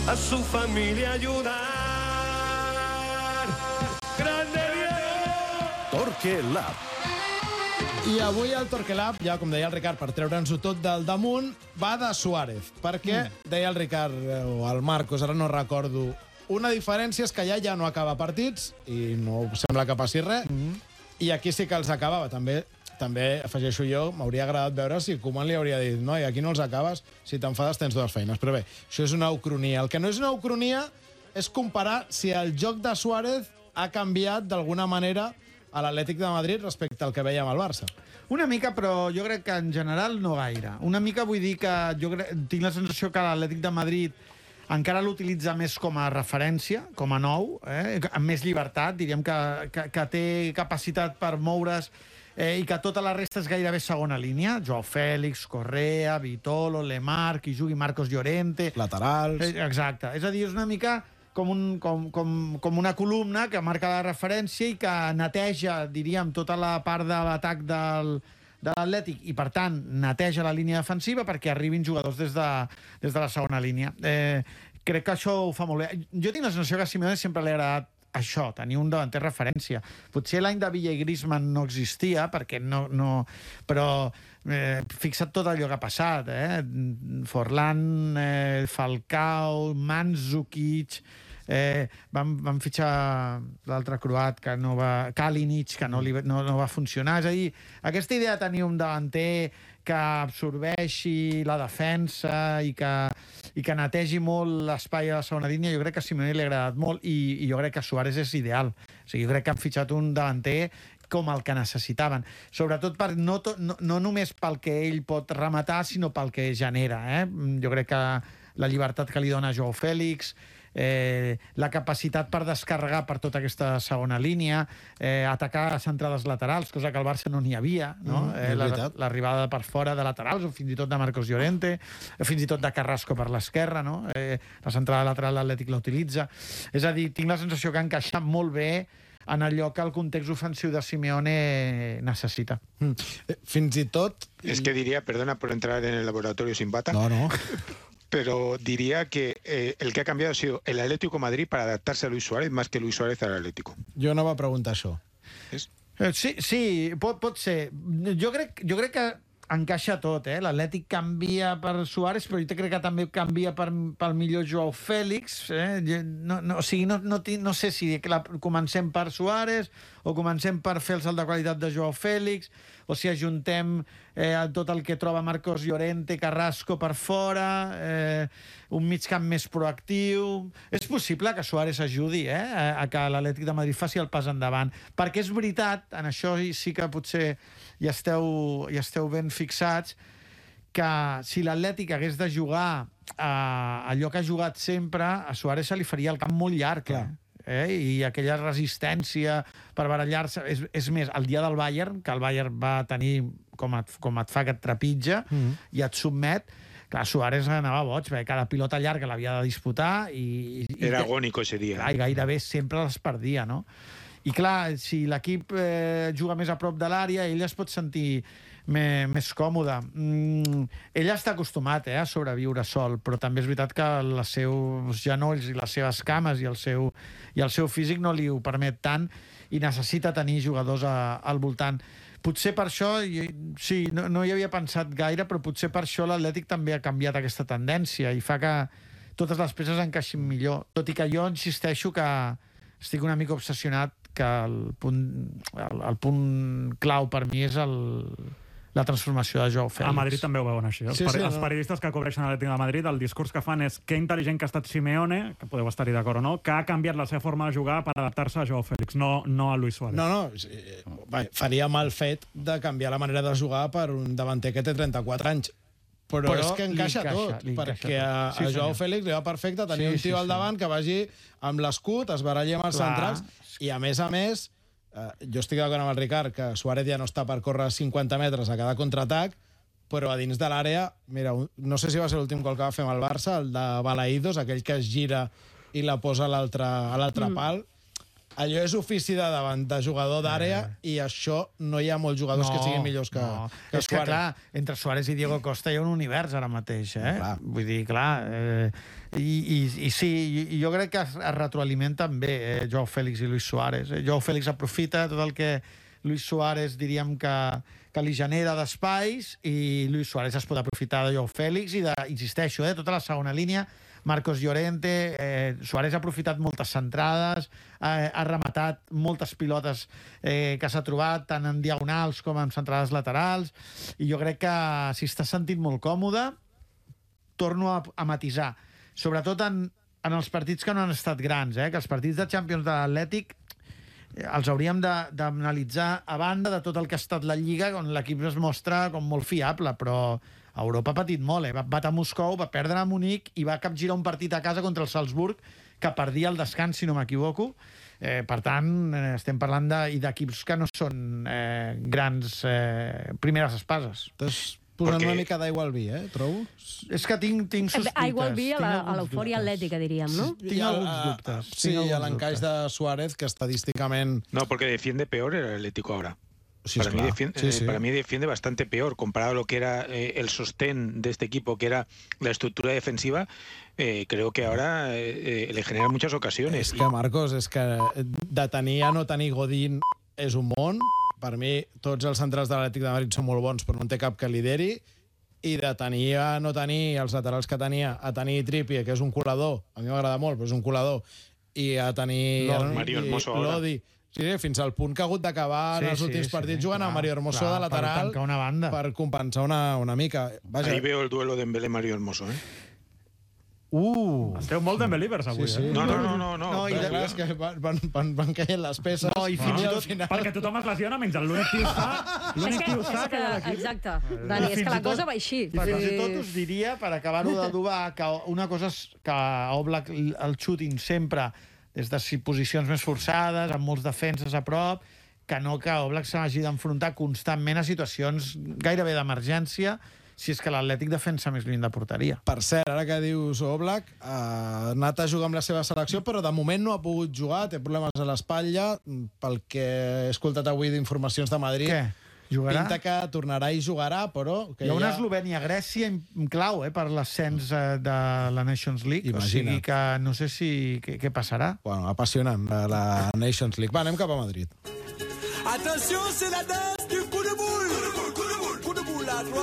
a su familia ayudar. ¡Grande Diego! Torque Lab. I avui el Torque Lab, ja com deia el Ricard, per treure'ns-ho tot del damunt, va de Suárez. Perquè, deia el Ricard o el Marcos, ara no recordo, una diferència és que ja no acaba partits, i no sembla que passi res, i aquí sí que els acabava. També afegeixo jo, m'hauria agradat veure si Koeman li hauria dit no, i aquí no els acabes, si t'enfades tens dues feines. Però bé, això és una ucronia. El que no és una ucronia és comparar si el joc de Suárez ha canviat d'alguna manera a l'Atlètic de Madrid respecte al que veiem al Barça. Una mica, però jo crec que en general no gaire. Una mica vull dir que tinc la sensació que l'Atlètic de Madrid encara l'utilitza més com a referència, com a nou, amb més llibertat, diríem que té capacitat per moure's i que tota la resta és gairebé segona línia. Joao Fèlix, Correa, Vitolo, Lemar, qui jugui Marcos Llorente... Laterals... Exacte. És a dir, és una mica com una columna que marca la referència i que neteja, diríem, tota la part de l'atac de l'Atlètic i, per tant, neteja la línia defensiva perquè arribin jugadors des de la segona línia. Crec que això ho fa molt bé. Jo tinc la sensació que a Simeone sempre li ha agradat això, tenir un davanter referència. Potser l'any de Villa i Griezmann no existia, perquè no... Però fixa't tot allò que ha passat, Forlán, Falcao, Mandzukic... Van fitxar l'altre croat que no va... Kalinic, que no va funcionar. És a dir, aquesta idea de tenir un davanter que absorbeixi la defensa i que netegi molt l'espai a la segona línia, jo crec que a Simeone li ha agradat molt i jo crec que Suárez és ideal. O sigui, jo crec que han fitxat un davanter com el que necessitaven. Sobretot no només pel que ell pot rematar, sinó pel que genera. Jo crec que la llibertat que li dona Joao Fèlix, la capacitat per descarregar per tota aquesta segona línia, atacar a centrades laterals, cosa que al Barça no n'hi havia, no? L'arribada per fora de laterals, o fins i tot de Marcos Llorente, fins i tot de Carrasco per l'esquerra, no? La centrada lateral l'Atlètic la utilitza. És a dir, tinc la sensació que ha encaixat molt bé en allò que el context ofensiu de Simeone necessita. Fins i tot... Es que diría, perdona por entrar en el laboratorio sin bata. No. Pero diría que el que ha cambiado ha sido el Atlético de Madrid para adaptarse a Luis Suárez más que Luis Suárez al Atlético. Jo no va preguntar això. Sí, pot ser. Jo crec que encaixa tot, L'Atlètic canvia per Suárez, però jo crec que també canvia pel millor Joao Fèlix. O sigui, no sé si comencem per Suárez o comencem per fer el salt de qualitat de Joao Fèlix, o si ajuntem tot el que troba Marcos Llorente, Carrasco per fora, un migcamp més proactiu... És possible que Suárez ajudi a que l'Atlètic de Madrid faci el pas endavant, perquè és veritat, en això sí que potser ja esteu ben fixats, que si l'Atlètic hagués de jugar allò que ha jugat sempre, a Suárez se li faria el camp molt llarg, i aquella resistència per barallar-se. És més, el dia del Bayern, que el Bayern va tenir com et fa que et trepitja i et sotmet, clar, Suárez anava boig, perquè cada pilota llarga l'havia de disputar Era agónico ese dia. I gairebé sempre les perdia, no? I clar, si l'equip juga més a prop de l'àrea, ell es pot sentir més còmode. Ell està acostumat a sobreviure sol, però també és veritat que els seus genolls i les seves cames i el seu físic no li ho permet tant i necessita tenir jugadors al voltant. Potser per això, sí, no hi havia pensat gaire, però potser per això l'Atlètic també ha canviat aquesta tendència i fa que totes les peces encaixin millor. Tot i que jo insisteixo que estic una mica obsessionat que el punt clau per mi és la transformació de Joao Fèlix. A Madrid també ho veuen així. Els periodistes que cobreixen l'Atlètic de Madrid, el discurs que fan és que intel·ligent que ha estat Simeone, que podeu estar-hi d'acord o no, que ha canviat la seva forma de jugar per adaptar-se a Joao Fèlix, no a Luis Suárez. No, faria mal fet de canviar la manera de jugar per un davanter que té 34 anys. Però és que encaixa tot, perquè a Joao Fèlix li va perfecte tenir un tio al davant que vagi amb l'escut, es baralli amb els centrals, i a més, jo estic d'acord amb el Ricard, que Suárez ja no està per córrer 50 metres a cada contraatac, però a dins de l'àrea, mira, no sé si va ser l'últim gol que va fer amb el Barça, el de Balaïdos, aquell que es gira i la posa a l'altre pal, allò és ofici de davant de jugador d'àrea i això no hi ha molts jugadors que siguin millors que és que, clar, entre Suárez i Diego Costa hi ha un univers ara mateix, Vull dir, clar... I sí, jo crec que es retroalimenten bé Joao Félix i Luis Suárez. Joao Félix aprofita tot el que Luis Suárez, diríem que li genera d'espais, i Luis Suárez es pot aprofitar de Joao Félix i, insisteixo, tota la segona línia, Marcos Llorente, Suárez ha aprofitat moltes centrades, ha rematat moltes pilotes que s'ha trobat, tant en diagonals com en centrades laterals, i jo crec que si està sentint molt còmode, torno a matisar, sobretot en els partits que no han estat grans, que els partits de Champions de l'Atlètic els hauríem d'analitzar a banda de tot el que ha estat la Lliga, on l'equip es mostra com molt fiable, però Europa ha patit molt, Va batre Moscou, va perdre a Munic i va capgirar un partit a casa contra el Salzburg que perdia el descans, si no m'equivoco. Per tant, estem parlant d'equips que no són grans primeres espases. Posant una mica d'aigua al vi, trobo. És que tinc sospites. Aigua al vi a l'eufòria atlètica, diríem, no? Tinc alguns dubtes. Sí, a l'encaix de Suárez, que estadísticament... No, porque defiende peor el Atlético ahora. Sí, para mí defiende bastante peor comparado a lo que era el sostén de este equipo, que era la estructura defensiva. Creo que ahora le genera muchas ocasiones. És que, Marcos, és que de tenir a no tenir Godín és un món. Per mi, tots els centrals de l'Atlètic de Madrid són molt bons, però no en té cap que lideri. I de tenir a no tenir els laterals que tenia, a tenir Trippier, que és un colador, a mi m'agrada molt, però és un colador, i a tenir Mario Hermoso Lodi. Sí, fins al punt que ha hagut d'acabar en els últims partits jugant a Mario Hermoso de lateral per compensar una mica. Ahí veo el duelo de Dembélé-Mario Hermoso, Esteu molt Dembélivers avui, No. I és que van caient les peces. No, i fins i tot... Perquè tothom es lesiona menys l'únic tio sa que hi ha a l'equip. Exacte, Dani, és que la cosa va així. I fins i tot us diria, per acabar-ho d'adobar, que una cosa és que Oblak el xutin sempre des de posicions més forçades, amb molts defenses a prop, que no que Oblak s'hagi d'enfrontar constantment a situacions gairebé d'emergència, si és que l'Atlètic defensa més lluny de porteria. Per cert, ara que dius Oblak, ha anat a jugar amb la seva selecció, però de moment no ha pogut jugar, té problemes a l'espatlla, pel que he escoltat avui d'informacions de Madrid. Què? Jugarà? Pinta que tornarà i jugarà, però... Hi ha una Eslovènia-Grècia clau per l'ascens de la Nations League. Imagina. O sigui que no sé què passarà. Bueno, apassionant, la Nations League. Va, anem cap a Madrid. Attention, c'est la danse du coup de boule. Coup de boule, à droite.